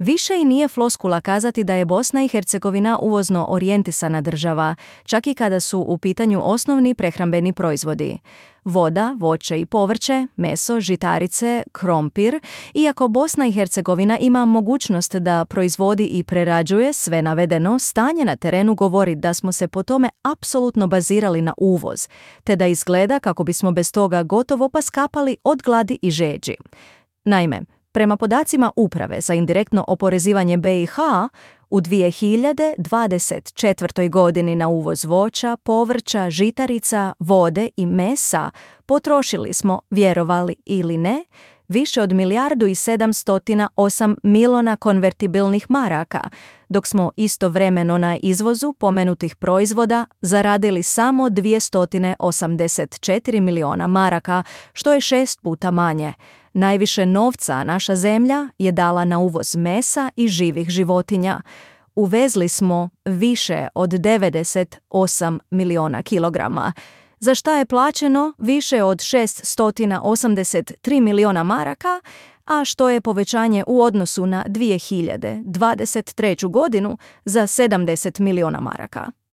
Više i nije floskula kazati da je Bosna i Hercegovina uvozno orijentisana država, čak i kada su u pitanju osnovni prehrambeni proizvodi. Voda, voće i povrće, meso, žitarice, krompir. Iako Bosna i Hercegovina ima mogućnost da proizvodi i prerađuje sve navedeno, stanje na terenu govori da smo se po tome apsolutno bazirali na uvoz, te da izgleda kako bismo bez toga gotovo pa skapali od gladi i žeđi. Naime, prema podacima Uprave za indirektno oporezivanje BiH, u 2024. godini na uvoz voća, povrća, žitarica, vode i mesa potrošili smo, vjerovali ili ne, više od 1.708 milijuna konvertibilnih maraka, dok smo istovremeno na izvozu pomenutih proizvoda zaradili samo 284 milijuna maraka, što je 6 puta manje. Najviše novca naša zemlja je dala na uvoz mesa i živih životinja. Uvezli smo više od 98 milijuna kilograma, za šta je plaćeno više od 683 milijuna maraka, a što je povećanje u odnosu na 2023. godinu za 70 milijuna maraka.